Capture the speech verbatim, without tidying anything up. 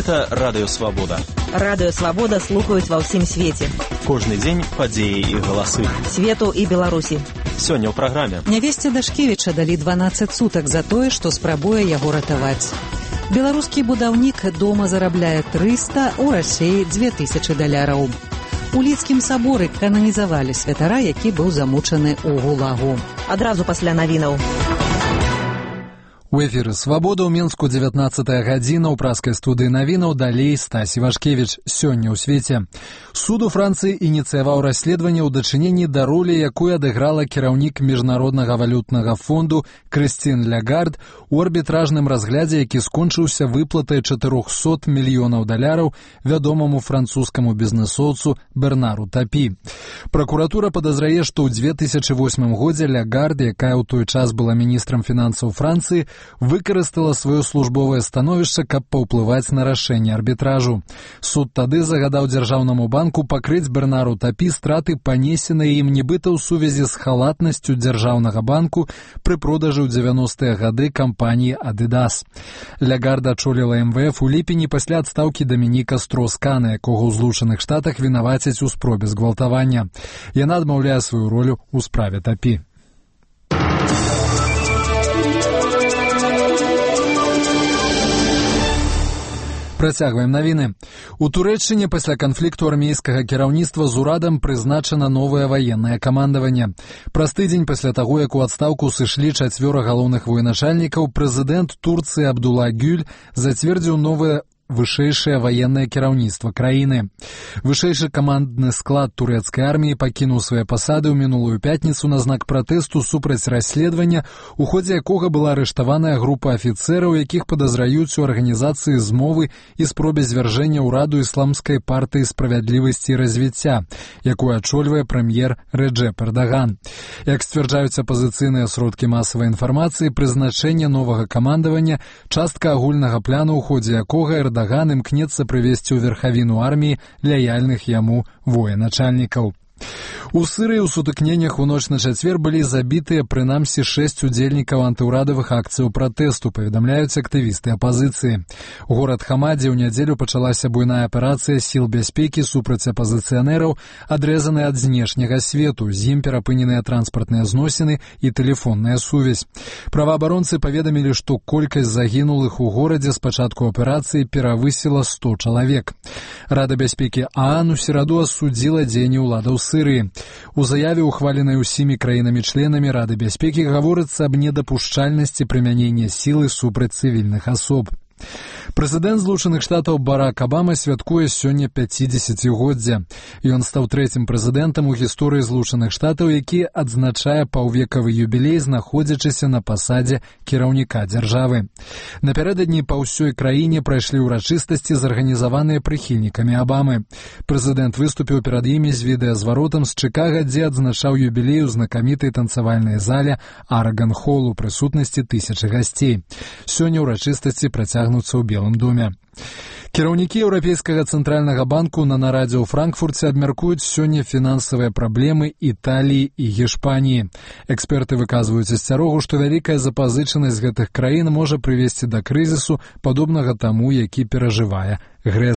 Гэта Радыё Свабода. Радыё Свабода слухаюць ва ўсім свеце. Кожны дзень падзеі і галасы. Свету і Беларусі. Сёння ў праграме. Нявесце Дашкевіча далі дванаццаць сутак за тое, што спрабуе яго ратаваць. Беларускі будаўнік дома зарабляе трыста, у Расіі дзве тысячы даляраў. У Лідскім саборы кананізавалі святара, які быў замучаны ў гулагу. Адразу пасля навінаў. У эфіры «Свабода» ў Менску дзевятнаццатая гадзіна, ў праскай студыі навінаў далей Стась Івашкевіч. Сёння ў свеце. Суд у Францыі ініцыяваў расследаванне ў дачыненні да ролі, якую адыграла кіраўнік Міжнароднага валютнага фонду Крыстін Лягард у арбітражным разглядзе, які скончыўся выплатай чатырохсот мільёнаў даляраў вядомаму французскаму бізнэсоўцу Бернару Тапі. Пракуратура падазрае, што ў дзве тысячы восьмым годзе Лягард, якая ў той час была міністрам фінансаў Францыі, выкарыстала сваё службовае становішча, каб паўплываць на рашэнне арбітражу. Суд тады загадаў дзяржаўнаму банку пакрыць Бернару Тапі страты, панесеныя ім нібыта ў сувязі з халатнасцю дзяржаўнага банку пры продажы ў дзевяностыя гады кампаніі «Адыдас». Лягард ачоліла эм вэ эф у ліпені пасля адстаўкі Дамініка Строскана, якога ў Злучаных Штатах вінавацяць у спробе згвалтавання. Яна адмаўляе сваю ролю ў справе Тапі. Працягваем навіны. У Турэччыне пасля канфлікту армейскага кіраўніцтва з урадам прызначана новае ваеннае камандаванне. Праз тыдзень пасля таго, як у адстаўку сышлі чацвёра галоўных военачальнікаў, прэзідэнт Турцыі Абдулла Гюль зацвердзіў новае вышэйшае ваеннае кіраўніцтва краіны. Вышэйшы камандны склад турэцкай арміі пакінуў свае пасады ў мінулую пятніцу на знак пратэсту супраць расследавання, у ходзе якога была арыштаваная група афіцэраў, якіх падазраюць у арганізацыі змовы і спробе звяржэння ўраду ісламскай партыі справядлівасці і развіцця, якую ачольвае прэм'ер Рэджэп Эрдаган. Як сцвярджаюць апазіцыйныя сродкі масавай інфармацыі, прызначэнне новага камандавання частка агульнага плану, у ходзе якога Эрдаган Эрдаган імкнецца прывесці ў верхавіну арміі лаяльных яму военачальнікаў. У Сырыі ў сутыкненнях у ноч на чацвер былі забітыя прынамсі шэсць удзельнікаў антыўрадавых акцыяў пратэсту, паведамляюць актывісты апазіцыі. У горад Хамадзе ў нядзелю пачалася буйная аперацыя сіл бяспекі супраць апазіцыянераў, адрэзаная ад знешняга свету, з ім перапыненыя транспартныя зносіны і тэлефонная сувязь. Праваабаронцы паведамілі, што колькасць загінулых у горадзе з пачатку аперацыі перавысіла сто чалавек. Рада бяспекі ААН у сераду асудзіла дзеянні ўладаў Сырыі. У заяве, ухваленай усімі краінамі-членамі Рады бяспекі, гаворыцца аб недапушчальнасці прымянення сілы супраць цывільных асоб. Прэзідэнт Злучаных Штатаў Барак Абама святкуе сёння пяцідзесяцігоддзе. Ён стаў трэцім прэзідэнтам у гісторыі Злучаных Штатаў, які адзначае паўвекавы юбілей, знаходзячыся на пасадзе кіраўніка дзяржавы. Напярэдадні па ўсёй краіне прайшлі ўрачыстасці, зарганізаваныя прыхільнікамі Абамы. Прэзідэнт выступіў перад імі з відэазваротам з Чыкага, дзе адзначаў юбілей у знакамітай танцавальнай зале Араган-Холл у прысутнасці тысячы гасцей. Сёння ўрачыстасці працягнуцца ў Белым доме. Кіраўнікі Еўрапейскага цэнтральнага банку на нарадзе ў Франкфурце абмяркуюць сёння фінансавыя праблемы Італіі і Гішпаніі. Эксперты выказваюць асцярогу, што вялікая запазычанасць гэтых краін можа прывесці да крызісу, падобнага таму, які перажывае Грэцыя.